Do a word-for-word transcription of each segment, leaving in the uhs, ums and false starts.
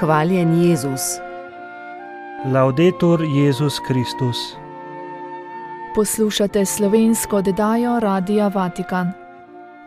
Hvaljen Jezus. Laudetur Jezus Kristus. Poslušate slovensko oddajo Radia Vatikan.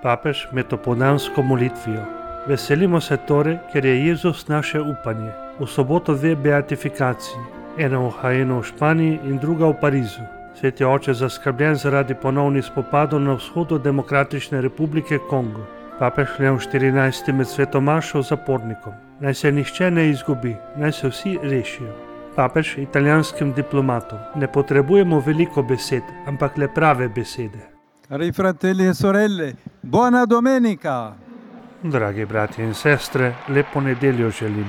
Papež med opoldansko molitvijo. Veselimo se torej, ker je Jezus naše upanje. V soboto dve beatifikaciji, ena v Hajenu v Španiji in druga v Parizu. Sveti oče zaskrbljen zaradi ponovnih spopadov na vzhodu Demokratične republike Kongo. Papež Leon štirinajsti med svetomašo zapornikom. Naj se nihče ne izgubi, naj se vsi rešijo. Papež italijanskim diplomatom. Ne potrebujemo veliko besed, ampak le prave besede. Cari fratelli e sorelle, buona domenica! Dragi bratje in sestre, lepo nedeljo želim.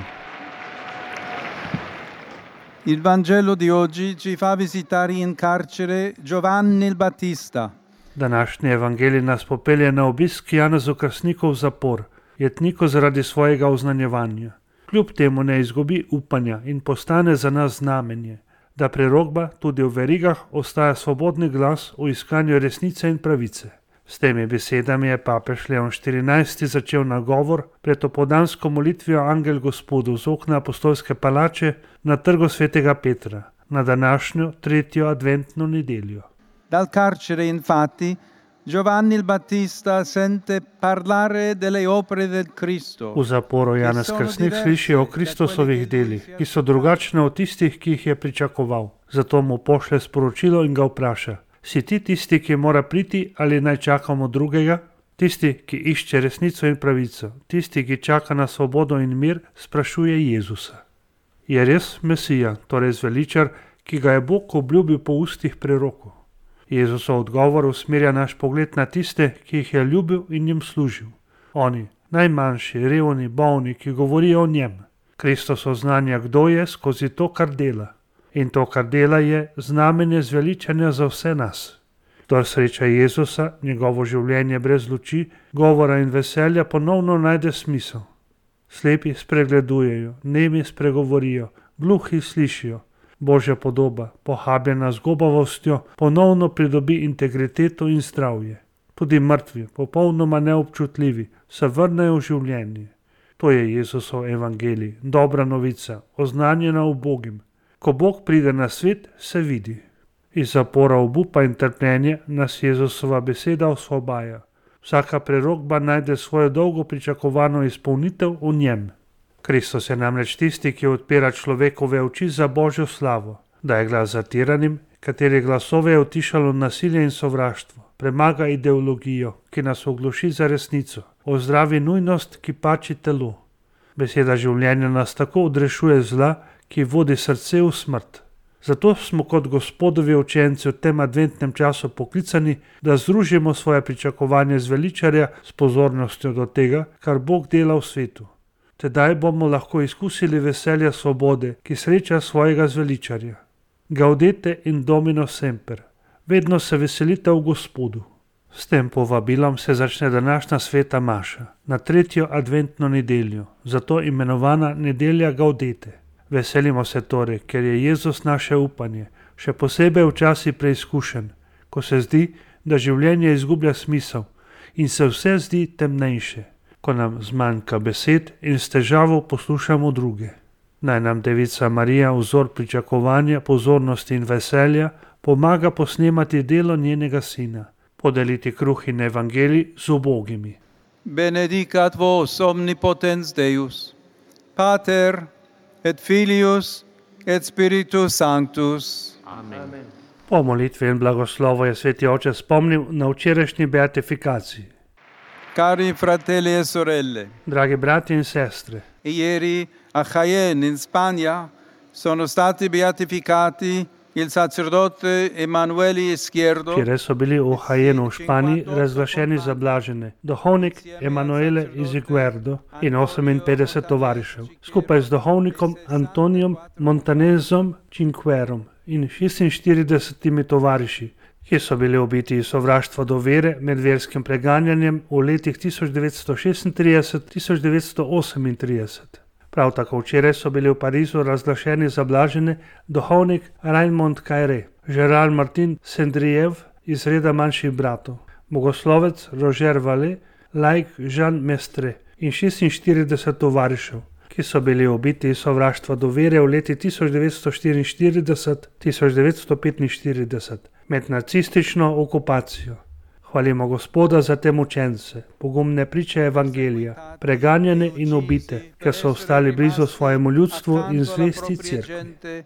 Il Vangelo di oggi ci fa visitare in carcere Giovanni il Battista. Današnji evangelij nas popelje na obisk Janezu Krstniku v zapor, jetniku zaradi svojega oznanjevanja. Kljub temu ne izgubi upanja in postane za nas znamenje, da prerokba tudi v verigah ostaja svobodni glas v iskanju resnice in pravice. S temi besedami je papež Leon štirinajsti začel nagovor pred opoldansko molitvijo Angel Gospodu z okna apostolske palače na trgu svetega Petra, na današnjo tretjo adventno nedeljo. Dal carcere, infatti, Giovanni il Battista sente parlare delle opere del Cristo. V zaporu Janez Krstnik sliši o Kristusovih delih, ki so drugačne od tistih, ki jih je pričakoval. Zato mu pošlje sporočilo in ga vpraša: si ti tisti, ki mora priti, ali naj čakamo drugega? Tisti, ki išče resnico in pravico, tisti, ki čaka na svobodo in mir, sprašuje Jezusa. Je res Mesija, torej zveličar, ki ga je Bog obljubil po ustih prerokov? Jezusov odgovor usmerja naš pogled na tiste, ki jih je ljubil in jim služil. Oni, najmanjši, revni, bolni, ki govorijo o njem. Kristus oznanja, kdo je skozi to, kar dela. In to, kar dela, je znamenje zveličanja za vse nas. Kdor sreča Jezusa, njegovo življenje brez luči, govora in veselja ponovno najde smisel. Slepi spregledujejo, nemi spregovorijo, gluhi slišijo. Božja podoba, pohabljena z gobavostjo, ponovno pridobi integriteto in zdravje. Tudi mrtvi, popolnoma neobčutljivi, se vrnejo v življenje. To je Jezusov evangelij, dobra novica, oznanjena ubogim. Ko Bog pride na svet, se vidi. Iz zapora obupa in trpljenja nas Jezusova beseda osvobaja. Vsaka prerokba najde svojo dolgo pričakovano izpolnitev v njem. Kristus je namreč tisti, ki odpira človekove oči za Božjo slavo, daje glas zatiranim, kateri glasove je utišalo nasilje in sovraštvo, premaga ideologijo, ki nas ogluši za resnico, ozdravi nujnost, ki pači telo. Beseda življenja nas tako odrešuje zla, ki vodi srce v smrt. Zato smo kot Gospodovi učenci v tem adventnem času poklicani, da združimo svoje pričakovanje zveličarja s pozornostjo do tega, kar Bog dela v svetu. Tedaj bomo lahko izkusili veselja svobode, ki sreča svojega zveličarja. Gaudete in Domino semper. Vedno se veselite v Gospodu. S tem povabilom se začne današnja sveta maša, na tretjo adventno nedeljo, zato imenovana nedelja Gaudete. Veselimo se torej, ker je Jezus naše upanje, še posebej v časi preizkušenj, ko se zdi, da življenje izgublja smisel in se vse zdi temnejše, ko nam zmanjka besed in s težavo poslušamo druge. Naj nam Devica Marija, vzor pričakovanja, pozornosti in veselja, pomaga posnemati delo njenega sina, podeliti kruh in evangelij z ubogimi. Benedicat vos omnipotens Deus, Pater et Filius et Spiritus Sanctus. Amen. Po molitvi in blagoslovu je sveti oče spomnil na včerajšnji beatifikaciji. Cari fratelli e sorelle, dragi brati in sestre, ieri a Jaén in Spagna sono stati beatificati il sacerdote Emanuele Izquierdo. Včeraj so bili v Hajenu v Španiji razglašeni za blažene duhovnik Emanuele Izquierdo in oseminpetdeset tovarišev, skupaj z duhovnikom Antonijom Montanezom Cinquerom in šestinštiridesetimi tovariši, ki so bili ubiti iz sovraštva do vere med verskim preganjanjem v letih tisoč devetsto šestintrideset do tisoč devetsto osemintrideset. Prav tako včeraj so bili v Parizu razglašeni za blažene duhovnik Raymond Caillé, Gerard Martin Sendriev iz reda manjših bratov, bogoslovec Roger Vallée, laik Jean Mestre in šestinštirideset tovarišev, ki so bili ubiti iz sovraštva do vere v leti tisoč devetsto štiriinštirideset do tisoč devetsto petinštirideset med nacistično okupacijo. Hvalimo Gospoda za te mučence, pogumne priče evangelija, preganjane in ubite, ker so ostali blizu svojemu ljudstvu in zvesti cerkvi.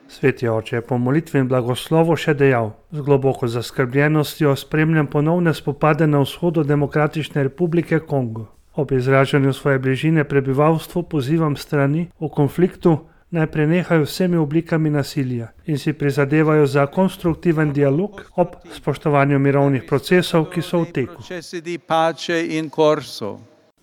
Sveti oče je po molitvi in blagoslovu še dejal: z globoko zaskrbljenostjo spremljam ponovne spopade na vzhodu Demokratične republike Kongo. Ob izražanju svoje bližine prebivalstvu pozivam strani v konfliktu, naj prenehajo vsemi oblikami nasilja in si prizadevajo za konstruktiven dialog ob spoštovanju mirovnih procesov, ki so v teku.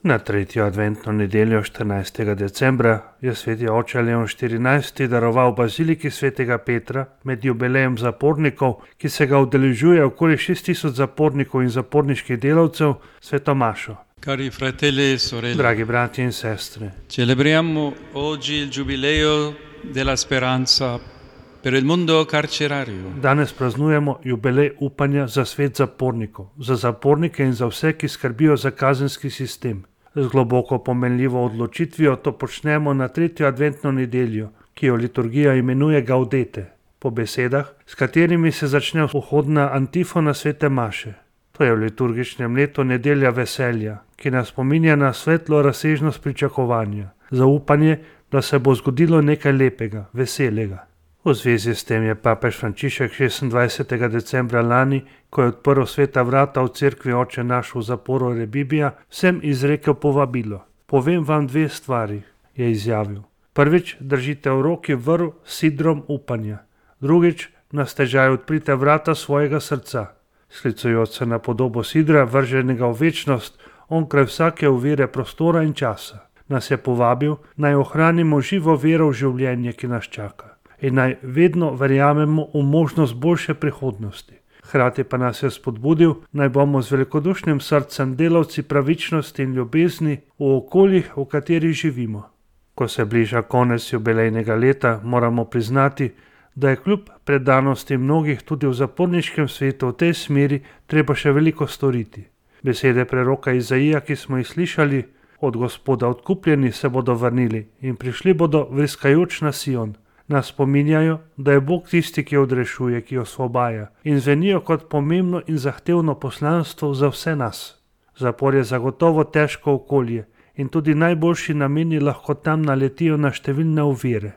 Na tretjo adventno nedeljo štirinajstega decembra je sveti oče Leon štirinajsti daroval baziliki svetega Petra med jubilejem zapornikov, ki se ga udeležuje okoli šest tisoč zapornikov in zaporniških delavcev, sveto mašo. Cari fratelli e sorelle, Dragi bratje in sestre, celebriamo oggi il giubileo della speranza per il mondo carcerario. danes praznujemo jubilej upanja za svet zapornikov, za zapornike in za vse, ki skrbijo za kazenski sistem. Z globoko pomenljivo odločitvijo to počnemo na tretjo adventno nedeljo, ki jo liturgija imenuje Gaudete, po besedah, s katerimi se začne vhodna antifona svete maše. To je v liturgičnem letu nedelja veselja, ki nas spominja na svetlo razsežnost pričakovanja, zaupanje, da se bo zgodilo nekaj lepega, veselega. V zvezi s tem je papež Frančišek šestindvajsetega decembra lani, ko je odprl sveta vrata v cerkvi Oče naš v zaporu Rebibija, vsem izrekel povabilo. Povem vam dve stvari, je izjavil. Prvič, držite v roki vrv s sidrom upanja. Drugič, na stežaj odprite vrata svojega srca. Sklicujoč se na podobo sidra, vrženega v večnost, onkraj vsake ovire prostora in časa, nas je povabil, naj ohranimo živo vero v življenje, ki nas čaka, in naj vedno verjamemo v možnost boljše prihodnosti. Hkrati pa nas je spodbudil, naj bomo z velikodušnim srcem delavci pravičnosti in ljubezni v okoljih, v katerih živimo. Ko se bliža konec jubilejnega leta, moramo priznati, da je kljub predanosti mnogih tudi v zaporniškem svetu v tej smeri treba še veliko storiti. Besede preroka Izaija, ki smo jih slišali, od Gospoda odkupljeni se bodo vrnili in prišli bodo vriskajoč na Sion, nas spominjajo, da je Bog tisti, ki odrešuje, ki osvobaja, in zvenijo kot pomembno in zahtevno poslanstvo za vse nas. Zapor je zagotovo težko okolje in tudi najboljši nameni lahko tam naletijo na številne ovire.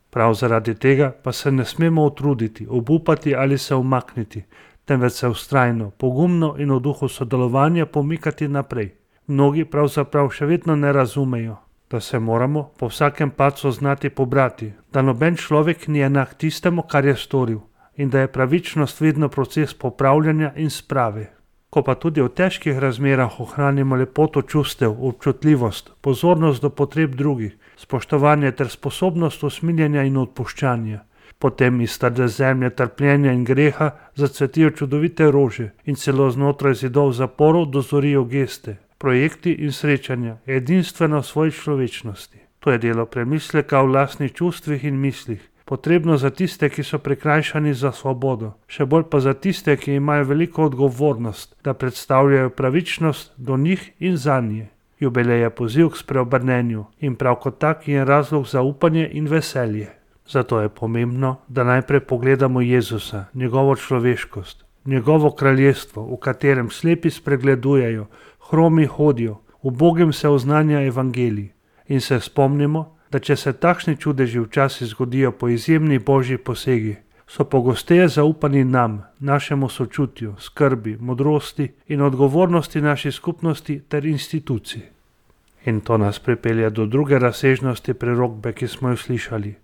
Prav zaradi tega pa se ne smemo utruditi, obupati ali se umakniti, temveč se vztrajno, pogumno in v duhu sodelovanja pomikati naprej. Mnogi pravzaprav še vedno ne razumejo, da se moramo po vsakem padcu znati pobrati, da noben človek ni enak tistemu, kar je storil, in da je pravičnost vedno proces popravljanja in sprave. Ko pa tudi v težkih razmerah ohranimo lepoto čustev, občutljivost, pozornost do potreb drugih, spoštovanje ter sposobnost usmiljenja in odpuščanja, potem iz trde zemlje trpljenja in greha zacvetijo čudovite rože in celo znotraj zidov zaporov dozorijo geste, projekti in srečanja, edinstveno v svoji človečnosti. To je delo premisleka v lastnih čustvih in mislih, potrebno za tiste, ki so prikrajšani za svobodo, še bolj pa za tiste, ki imajo veliko odgovornost, da predstavljajo pravičnost do njih in zanje. Jubilej je poziv k spreobrnenju in prav kot tak je razlog za upanje in veselje. Zato je pomembno, da najprej pogledamo Jezusa, njegovo človeškost, njegovo kraljestvo, v katerem slepi spregledujejo, hromi hodijo, ubogim se oznanja evangelij, in se spomnimo, da če se takšni čudeži včasih zgodijo po izjemnih božjih posegih, so pogosteje zaupani nam, našemu sočutju, skrbi, modrosti in odgovornosti naši skupnosti ter institucij. In to nas pripelje do druge razsežnosti prerokbe, ki smo jo slišali.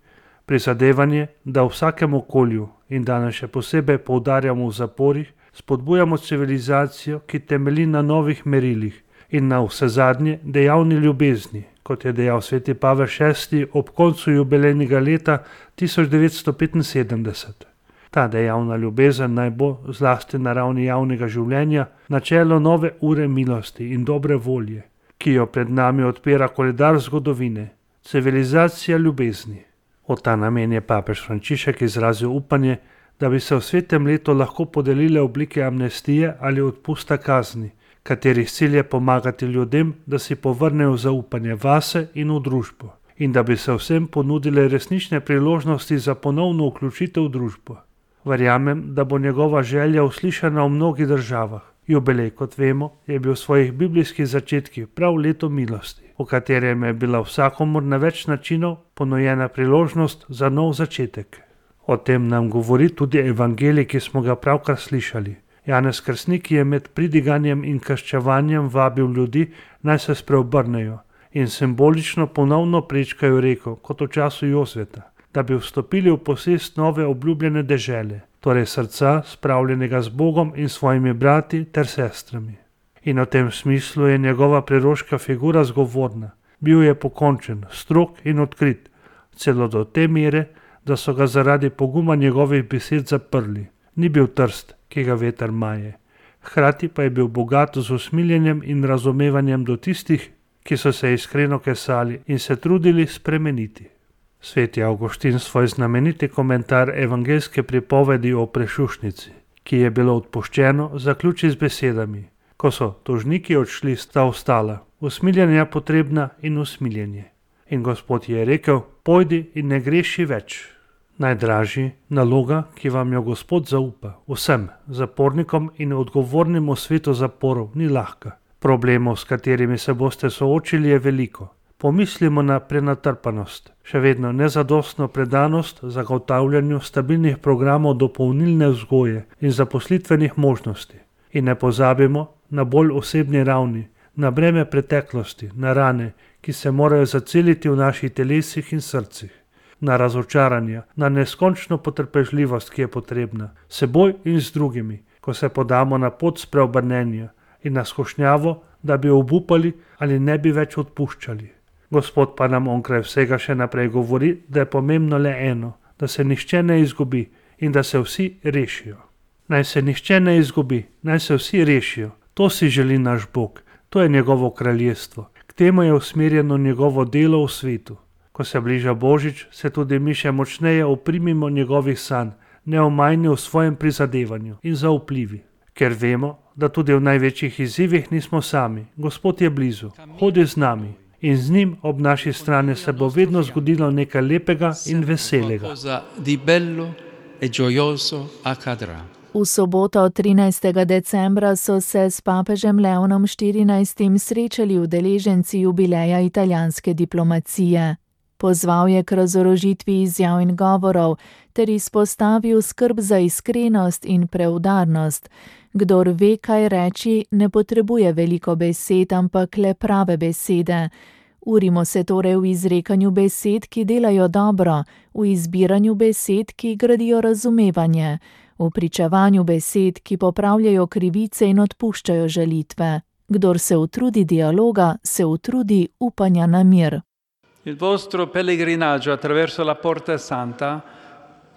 Prizadevanje, da v vsakem okolju in danes še posebej poudarjamo v zaporih, spodbujamo civilizacijo, ki temelji na novih merilih in na vsezadnje dejavni ljubezni, kot je dejal sveti Pavel šesti ob koncu jubilejnega leta tisoč devetsto petinsedemdeset. Ta dejavna ljubezen naj bo, zlasti na ravni javnega življenja, načelo nove ure milosti in dobre volje, ki jo pred nami odpira koledar zgodovine, civilizacija ljubezni. V ta namen je papež Frančišek izrazil upanje, da bi se v svetem letu lahko podelile oblike amnestije ali odpusta kazni, katerih cilj je pomagati ljudem, da si povrnejo zaupanje vase in v družbo in da bi se vsem ponudile resnične priložnosti za ponovno vključitev v družbo. Verjamem, da bo njegova želja uslišana v mnogih državah. Jubilej, kot vemo, je bil v svojih biblijskih začetkih prav leto milosti, v katerem je bila vsakomur na več načinov ponujena priložnost za nov začetek. O tem nam govori tudi evangelij, ki smo ga pravkar slišali. Janez Krstnik je med pridiganjem in krščevanjem vabil ljudi, naj se spreobrnejo in simbolično ponovno prečkajo reko, kot v času Jozveta, da bi vstopili v posest nove obljubljene dežele, torej srca, spravljenega z Bogom in svojimi brati ter sestrami. In v tem smislu je njegova preroška figura zgovorna. Bil je pokončen, strog in odkrit, celo do te mere, da so ga zaradi poguma njegovih besed zaprli. Ni bil trst, ki ga veter maje. Hkrati pa je bil bogat z usmiljenjem in razumevanjem do tistih, ki so se iskreno kesali in se trudili spremeniti. Sveti Avguštin svoj znameniti komentar evangeljske pripovedi o prešušnici, ki je bilo odpuščeno, zaključi z besedami: ko so tožniki odšli, sta ostala usmiljenja potrebna in usmiljenje. In Gospod je rekel: pojdi in ne greši več. Najdražji naloga, ki vam jo Gospod zaupa, vsem zapornikom in odgovornim v svetu zaporov, ni lahka. Problemov, s katerimi se boste soočili, je veliko. Pomislimo na prenatrpanost, še vedno nezadostno predanost zagotavljanju stabilnih programov dopolnilne vzgoje in zaposlitvenih možnosti. In ne pozabimo na bolj osebni ravni, na breme preteklosti, na rane, ki se morajo zaceliti v naših telesih in srcih, na razočaranja, na neskončno potrpežljivost, ki je potrebna, seboj in z drugimi, ko se podamo na pot spreobrnenja, in na skušnjavo, da bi obupali ali ne bi več odpuščali. Gospod pa nam onkraj vsega še naprej govori, da je pomembno le eno, da se nihče ne izgubi in da se vsi rešijo. Naj se nihče ne izgubi, naj se vsi rešijo. To si želi naš Bog, to je njegovo kraljestvo. K temu je usmerjeno njegovo delo v svetu. Ko se bliža Božič, se tudi mi še močneje oprimimo njegovih sanj, neomajni v svojem prizadevanju in zaupljivi. Ker vemo, da tudi v največjih izzivih nismo sami. Gospod je blizu, hodi z nami. In z njim ob naši strani se bo vedno zgodilo nekaj lepega in veselega. V soboto trinajstega decembra so se s papežem Leonom štirinajstim srečali udeleženci jubileja italijanske diplomacije. Pozval je k razorožitvi izjav in govorov ter izpostavil skrb za iskrenost in preudarnost. Kdor ve, kaj reči, ne potrebuje veliko besed, ampak le prave besede. Urimo se torej v izrekanju besed, ki delajo dobro, v izbiranju besed, ki gradijo razumevanje, v pričevanju besed, ki popravljajo krivice in odpuščajo žalitve. Kdor se utrudi dialoga, se utrudi upanja na mir. Il vostro pellegrinaggio attraverso la Porta Santa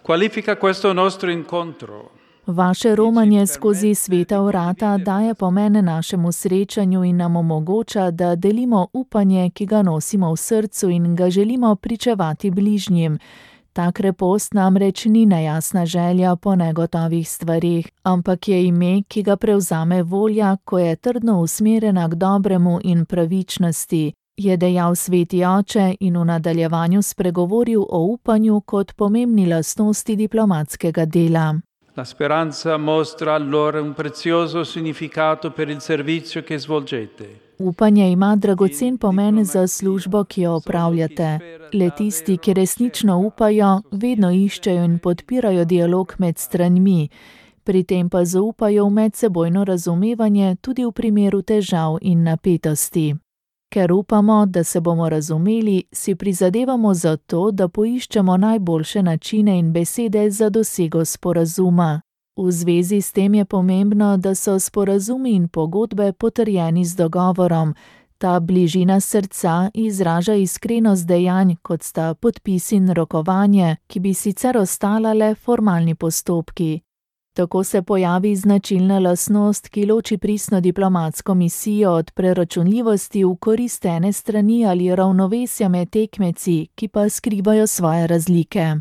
qualifica questo nostro incontro. Vaše romanje skozi sveta vrata daje pomen našemu srečanju in nam omogoča, da delimo upanje, ki ga nosimo v srcu in ga želimo pričevati bližnjim. Ta krepost namreč ni nejasna želja po negotovih stvarih, ampak je ime, ki ga prevzame volja, ko je trdno usmerjena k dobremu in pravičnosti, je dejal sveti oče in v nadaljevanju spregovoril o upanju kot pomembni lastnosti diplomatskega dela. La speranza mostra allora un prezioso significato per il servizio che svolgete. Upanje ima dragocen pomen za službo, ki jo opravljate. Le tisti, ki resnično upajo, vedno iščejo in podpirajo dialog med stranmi. Pri tem pa zaupajo v medsebojno razumevanje tudi v primeru težav in napetosti. Ker upamo, da se bomo razumeli, si prizadevamo za to, da poiščemo najboljše načine in besede za dosego sporazuma. V zvezi s tem je pomembno, da so sporazumi in pogodbe potrjeni z dogovorom. Ta bližina srca izraža iskrenost dejanj, kot sta podpis in rokovanje, ki bi sicer ostala le formalni postopki. Tako se pojavi značilna lastnost, ki loči pristno diplomatsko misijo od preračunljivosti v korist ene strani ali ravnovesja med tekmeci, ki pa skrivajo svoje razlike.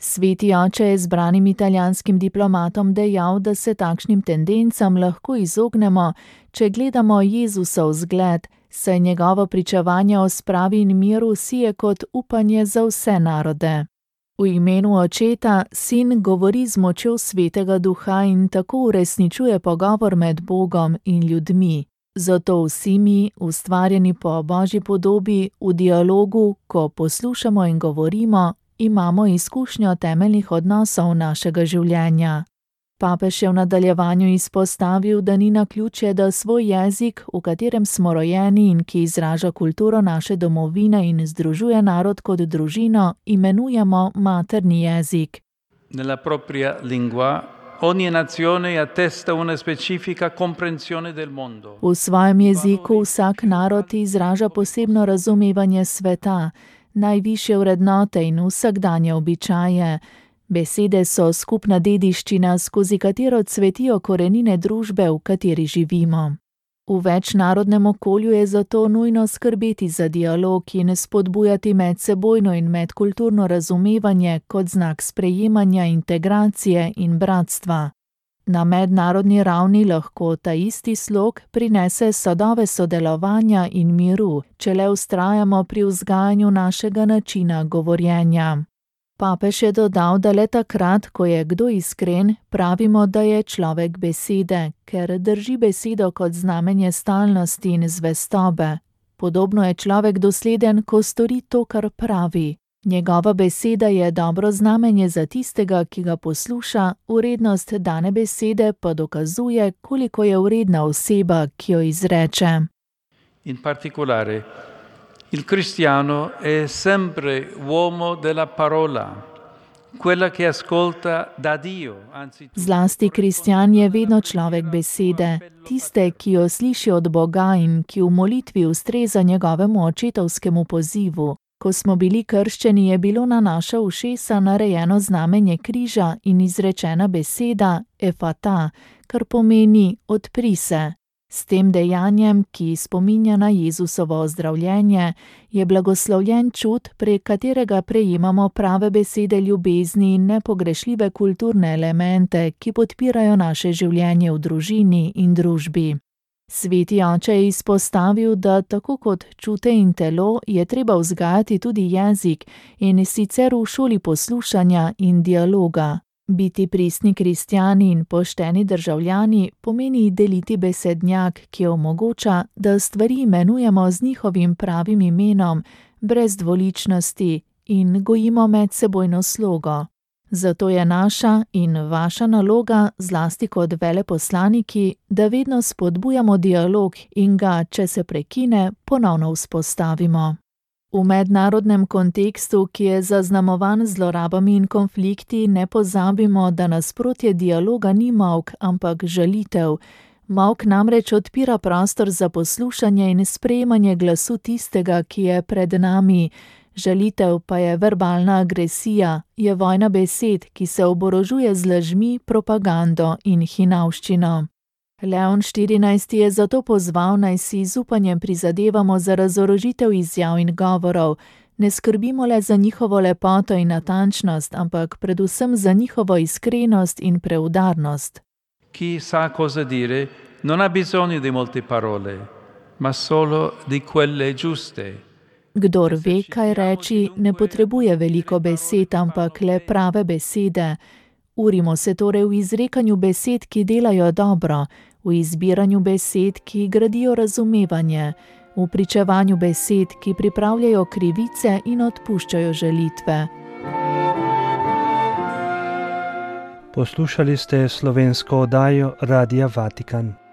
Sveti oče je zbranim italijanskim diplomatom dejal, da se takšnim tendencam lahko izognemo, če gledamo Jezusov zgled, saj njegovo pričevanje o spravi in miru sije kot upanje za vse narode. V imenu očeta sin govori z močjo Svetega Duha in tako uresničuje pogovor med Bogom in ljudmi. Zato vsi mi, ustvarjeni po Božji podobi, v dialogu, ko poslušamo in govorimo, imamo izkušnjo temeljnih odnosov našega življenja. Papež je v nadaljevanju izpostavil, da ni naključje, da svoj jezik, v katerem smo rojeni in ki izraža kulturo naše domovine in združuje narod kot družino, imenujemo materni jezik. Nella propria lingua ogni nazione attesta una specifica comprensione del mondo. V svojem jeziku vsak narod izraža posebno razumevanje sveta, najvišje vrednote in vsakdanje običaje. Besede so skupna dediščina, skozi katero cvetijo korenine družbe, v kateri živimo. V večnarodnem okolju je zato nujno skrbeti za dialog in spodbujati medsebojno in medkulturno razumevanje kot znak sprejemanja, integracije in bratstva. Na mednarodni ravni lahko ta isti slog prinese sadove sodelovanja in miru, če le vztrajamo pri vzgajanju našega načina govorjenja. Papež je dodal, da le takrat, ko je kdo iskren, pravimo, da je človek besede, ker drži besedo kot znamenje stalnosti in zvestobe. Podobno je človek dosleden, ko stori to, kar pravi. Njegova beseda je dobro znamenje za tistega, ki ga posluša, vrednost dane besede pa dokazuje, koliko je vredna oseba, ki jo izreče. In particolare, il cristiano è sempre uomo della parola, quella che ascolta da Dio. Zlasti kristjan je vedno človek besede, tiste, ki jo sliši od Boga in ki v molitvi ustreza njegovemu očetovskemu pozivu. Ko smo bili krščeni, je bilo na naša ušesa narejeno znamenje križa in izrečena beseda efata, kar pomeni odpri se. S tem dejanjem, ki spominja na Jezusovo ozdravljenje, je blagoslovljen čut, prek katerega prejemamo prave besede ljubezni in nepogrešljive kulturne elemente, ki podpirajo naše življenje v družini in družbi. Sveti oče je izpostavil, da tako kot čute in telo, je treba vzgajati tudi jezik in sicer v šoli poslušanja in dialoga. Biti pristni kristjani in pošteni državljani pomeni deliti besednjak, ki omogoča, da stvari imenujemo z njihovim pravim imenom, brez dvoličnosti in gojimo medsebojno slogo. Zato je naša in vaša naloga, zlasti kot veleposlaniki, da vedno spodbujamo dialog in ga, če se prekine, ponovno vzpostavimo. V mednarodnem kontekstu, ki je zaznamovan z zlorabami in konflikti, ne pozabimo, da nasprotje dialoga ni molk, ampak žalitev. Molk namreč odpira prostor za poslušanje in sprejemanje glasu tistega, ki je pred nami. Žalitev pa je verbalna agresija, je vojna besed, ki se oborožuje z lažmi, propagando in hinavščino. Leon štirinajsti je zato pozval, naj si z upanjem prizadevamo za razorožitev izjav in govorov, ne skrbimo le za njihovo lepoto in natančnost, ampak predvsem za njihovo iskrenost in preudarnost. Chi sa cosa dire non ha bisogno di molte parole, ma solo di quelle giuste. Kdor ve, kaj reči, ne potrebuje veliko besed, ampak le prave besede. Urimo se torej v izrekanju besed, ki delajo dobro, v izbiranju besed, ki gradijo razumevanje, v pričevanju besed, ki pripravljajo krivice in odpuščajo žalitve. Poslušali ste slovensko oddajo Radia Vatikan.